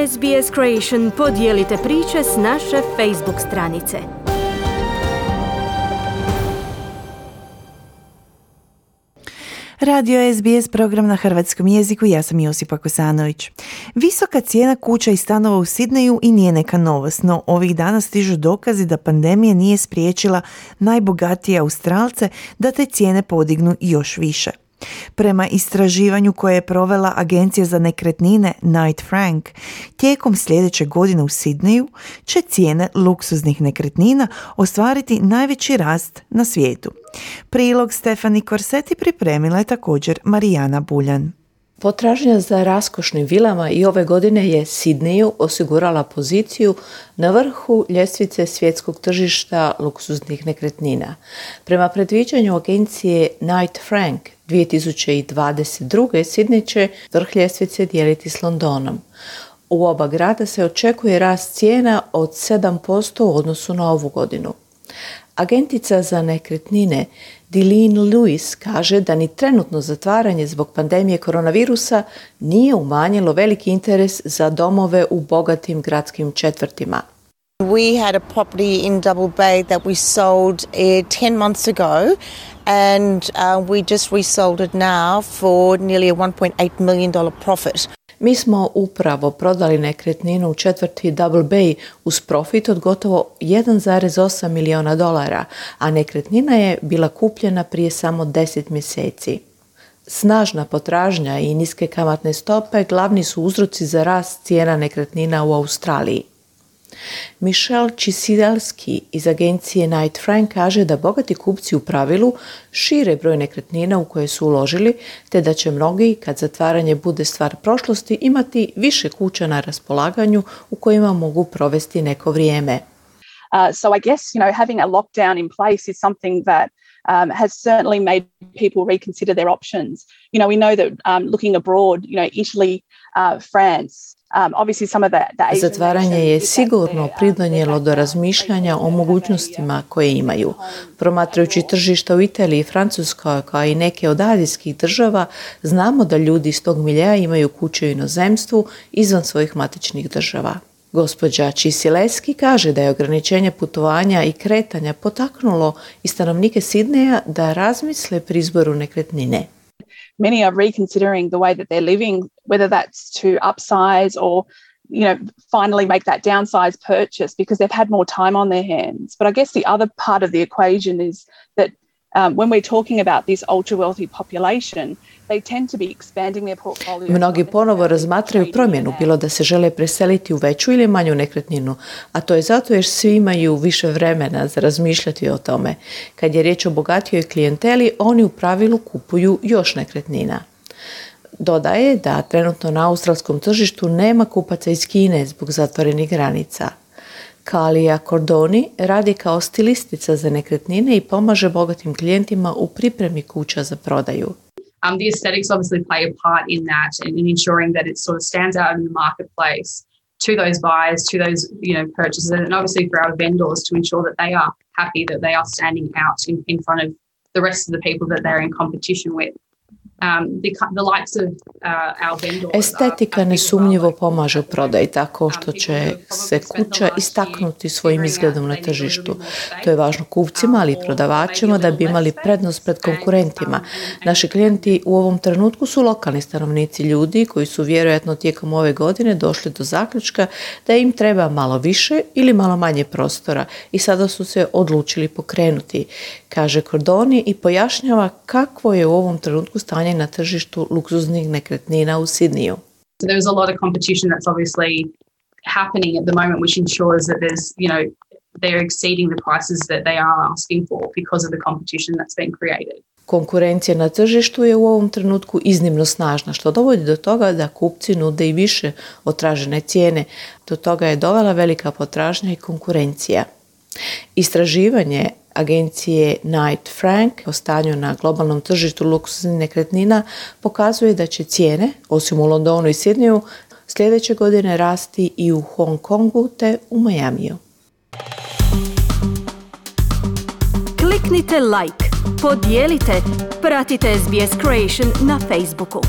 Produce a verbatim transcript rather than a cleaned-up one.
S B S Creation podijelite priče s naše Facebook stranice. Radio S B S program na hrvatskom jeziku, ja sam Josipa Kosanović. Visoka cijena kuća i stanova u Sidneju i nije neka novost, no ovih dana stižu dokazi da pandemija nije spriječila najbogatije Australce da te cijene podignu još više. Prema istraživanju koje je provela Agencija za nekretnine Knight Frank, tijekom sljedeće godine u Sidneju će cijene luksuznih nekretnina ostvariti najveći rast na svijetu. Prilog Stefani Korseti pripremila je također Marijana Buljan. Potražnja za raskošnim vilama i ove godine je Sidneju osigurala poziciju na vrhu ljestvice svjetskog tržišta luksuznih nekretnina. Prema predviđanju agencije Knight Frank, dvije tisuće dvadeset druge. Sidney će vrh ljestvice dijeliti s Londonom. U oba grada se očekuje rast cijena od sedam posto u odnosu na ovu godinu. Agentica za nekretnine Deline Lewis kaže da ni trenutno zatvaranje zbog pandemije koronavirusa nije umanjilo veliki interes za domove u bogatim gradskim četvrtima. We had a property in Double Bay that we sold uh, ten months ago and uh, we just resold it now for nearly a one point eight million dollars profit. Mi smo upravo prodali nekretninu u četvrti Double Bay uz profit od gotovo jedan zarez osam miliona dolara, a nekretnina je bila kupljena prije samo deset mjeseci. Snažna potražnja i niske kamatne stope glavni su uzroci za rast cijena nekretnina u Australiji. Michelle Čisidalski iz agencije Knight Frank kaže da bogati kupci u pravilu šire broj nekretnina u koje su uložili, te da će mnogi, kad zatvaranje bude stvar prošlosti, imati više kuća na raspolaganju u kojima mogu provesti neko vrijeme. Uh, so I guess, you know, having a lockdown in place is something that um, has certainly made people reconsider their options. You know, we know that um, looking abroad, you know, Italy, uh, France, Um, obviously some of the, the Zatvaranje je sigurno pridonijelo do razmišljanja o mogućnostima koje imaju. Promatrajući tržišta u Italiji i Francuskoj, kao i neke od azijskih država, znamo da ljudi iz tog miljea imaju kuće u inozemstvu izvan svojih matičnih država. Gospođa Čisileski kaže da je ograničenje putovanja i kretanja potaknulo i stanovnike Sidneja da razmisle pri izboru nekretnine. Many are reconsidering the way that they're living, whether that's to upsize or, you know, finally make that downsize purchase because they've had more time on their hands. But I guess the other part of the equation is that um, when we're talking about this ultra-wealthy population, they tend to be expanding their portfolios. Mnogi ponovo razmatraju promjenu, bilo da se žele preseliti u veću ili manju nekretninu, a to je zato jer svi imaju više vremena za razmišljati o tome. Kad je riječ o bogatijoj klijenteli, oni u pravilu kupuju još nekretnina. Dodaje da trenutno na australskom tržištu nema kupaca iz Kine zbog zatvorenih granica. Kalija Cordoni radi kao stilistica za nekretnine i pomaže bogatim klijentima u pripremi kuća za prodaju. Um, the aesthetics obviously play a part in that and in ensuring that it sort of stands out in the marketplace to those buyers, to those, you know, purchasers, and obviously for our vendors to ensure that they are happy that they are standing out in, in front of the rest of the people that they're in competition with. Um, the, the likes of uh, our vendors. Estetika nesumnjivo pomaže u prodaji tako što će se kuća istaknuti svojim izgledom na tržištu. To je važno kupcima, ali i prodavačima da bi imali prednost pred konkurentima. Naši klijenti u ovom trenutku su lokalni stanovnici, ljudi koji su vjerojatno tijekom ove godine došli do zaključka da im treba malo više ili malo manje prostora i sada su se odlučili pokrenuti, kaže Cordoni i pojašnjava kakvo je u ovom trenutku stanje na tržištu luksuznih nekretnina u Sidneju. So there's a lot of competition that's obviously happening at the moment, which ensures that there's, you know, they're exceeding the prices that they are asking for because of the competition that's been created. Konkurencija na tržištu je u ovom trenutku iznimno snažna, što dovodi do toga da kupci nude i više od tražene cijene. Do toga je dovela velika potražnja i konkurencija. Istraživanje agencije Knight Frank o stanju na globalnom tržištu luksuznih nekretnina pokazuje da će cijene, osim u Londonu i Sidneju, sljedeće godine rasti i u Hong Kongu te u Majamiju. Kliknite like, podijelite, pratite S B S Creation na Facebooku.